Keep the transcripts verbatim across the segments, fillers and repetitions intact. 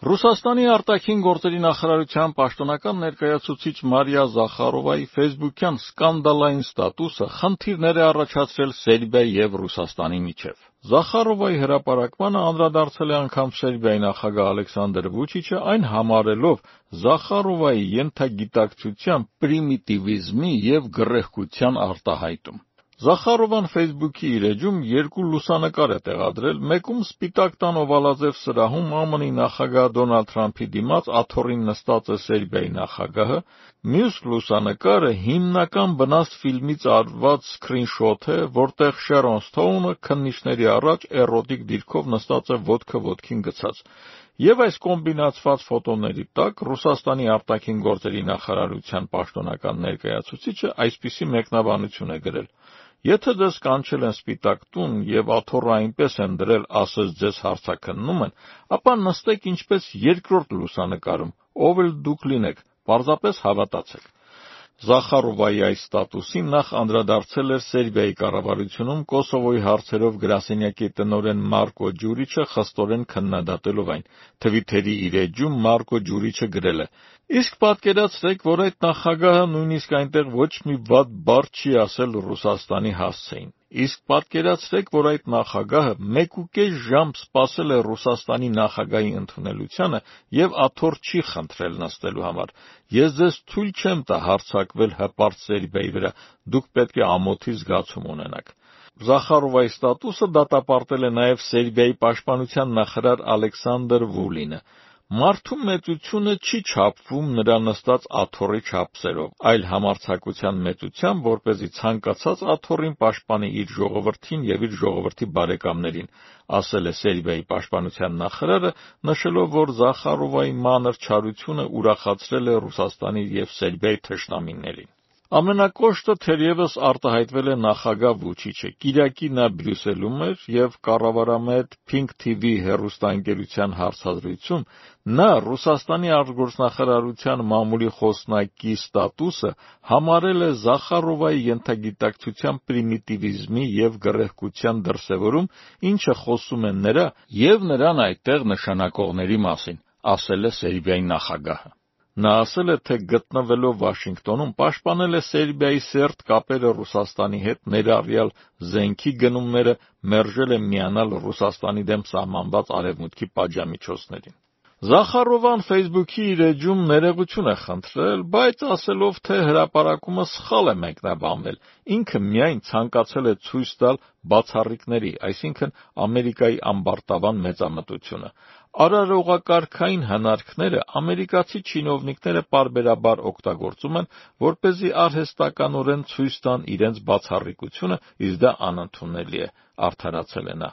Ռուսաստանի արտաքին գործերի նախարարության պաշտոնական ներկայացուցիչ Մարիա Զախարովայի ֆեյսբուքյան սկանդալային ստատուսը խնդիրներ է առաջացրել Սերբիայի և Ռուսաստանի միջև։ Զախարովայի հրապարակմանը անդրադարձել է անգամ Սերբիայի նախագահ Ալեքսանդր Վուչիչը, այն համարելով Զախարովայի ենթագիտակցության պրիմիտիվիզմի և գռեհկության արտահայտում։ Զախարովան ֆեյսբուքի իր էջում երկու լուսանկար է տեղադրել, մեկում Սպիտակ տան օվալաձև սրահում ԱՄՆ-ի նախագահ Դոնալդ Թրամփի դիմաց աթոռին նստած է Սերբիայի նախագահը, մյուս լուսանկարը հիմնական բնաստ ֆիլմից արված սքրինշոթ է, որտեղ Շերոն Սթոունը քննիչների առաջ էրոտիկ դիրքով նստած է ոտքը ոտքին գցած։ Եվ այս կոմբինացված ֆոտոների տակ Ռուսաստանի արտաքին գործերի նախարարության պաշտոնական ներկայացուցիչը այսպիսի մեկնաբանություն է գրել. Եթե ձեզ կանչել են Սպիտակ տուն և աթոռը այնպես են դրել, ասես ձեզ հարցաքննում են, ապա նստեք ինչպես երկրորդ լուսանկարում, ով էլ դուք լինեք, պարզապես հավատացեք։ Զախարովայի այս ստատուսին նախ անդրադարձել էր Սերբիայի կառավարությունում Կոսովոյի հարցերով գրասենյակի տնօրեն Մարկո Ջուրիչը, խստորեն քննադատելով այն։ Թվիթերի իր էջում Մարկո Ջուրիչը գրել է. Իսկ պատկերացրեք, որ այդ նախագահը նույնիսկ այնտեղ ոչ մի վատ բառ չի ասել Ռուսաստանի հասցեին։ Իսկ պատկերացրեք, որ այդ նախագահը մեկուկես ժամ սպասել է Ռուսաստանի նախագահի ընդունելությանը և աթոռ չի խնդրել նստելու համար։ Ես ձեզ թույլ չեմ տա հարձակվել հպարտ Սերբիայի վրա, դուք պետք է ամոթի զգացում ունենաք։ Զախարովայի ստատուսը դատապարտել է նաև Սերբիայի պաշտպանության նախարար Ալեքսանդր Վուլինը։ Մարդու մեծությունը չի չափվում նրա նստած աթոռի չափսերով, այլ համարձակության մեծությամբ, որպեսզի ցանկացած աթոռին պաշտպանի իր ժողովրդին և իր ժողովրդի բարեկամներին, ասել է Սերբիայի պաշտպանության նախարարը, նշելով, որ Զախարովայի մանր չարությունը ուրախացրել է Ռուսաստանի և Սերբիայի թշնամիներին։ Ամենակոշտը թերևս արտահայտվել է նախագահ Վուչիչը։ Կիրակի նա Բրյուսելում էր և կառավարամետ Pink T V հեռուստաընկերության հարցազրույցում նա Ռուսաստանի արտգործնախարարության մամուլի խոսնակի ստատուսը համարել է Զախարովայի ենթագիտակցության պրիմիտիվիզմի և գռեհկության դրսևորում, ինչը խոսում է նրա և նրան այդտեղ նշանակողների մասին, ասել է Սերբիայի նախագահը։ Նա ասել է, թե գտնվելով Վաշինգտոնում պաշտպանել է Սերբիայի սերտ կապերը Ռուսաստանի հետ, ներառյալ զենքի գնումները, մերժել է միանալ Ռուսաստանի դեմ սահմանված Արևմուտքի պատժամիջոցներին։ Զախարովան ֆեյսբուքի իր էջում ներողություն է խնդրել, բայց ասելով, թե հրապարակումը սխալ է մեկնաբանվել, ինքը միայն ցանկացել է ցույց տալ բացառիկների, այսինքն Ամերիկայի ամբարտավան մեծամտությունը։ Արարողակարգային հնարքները ամերիկացի չինովնիկները պարբերաբար օգտագործում են, որպեսզի արհեստականորեն ցույց տան իրենց բացառիկությունը, իսկ դա անընդունելի է, արդարացել է նա։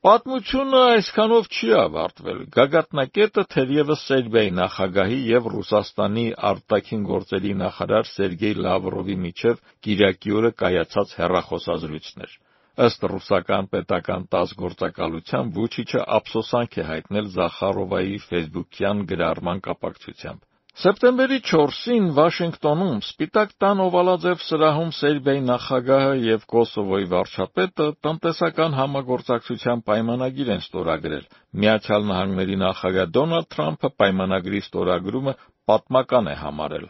Պատմությունը այսքանով չի ավարտվել։ Գագաթնակետը թերևս Սերբիայի նախագահի և Ռուսաստանի արտաքին գործերի նախարար Սերգեյ Լավրովի միջև կիրակի օրը կայացած հեռախոսազրույցն էր։ Ըստ ռուսական պետական տաս գործակալության Վուչիչը ափսոսանք է հայտնել Զախարովայի ֆեյսբուքյան գրառման կապակցությամբ։ Սեպտեմբերի չորսին Վաշինգտոնում Սպիտակ տան օվալաձև սրահում Սերբիայի նախագահը և Կոսովոյի վարչապետը տնտեսական համագործակցության պայմանագիր են ստորագրել։ Միացյալ Նահանգների նախագահ Դոնալդ Թրամփը պայմանագրի ստորագրումը պատմական է համարել։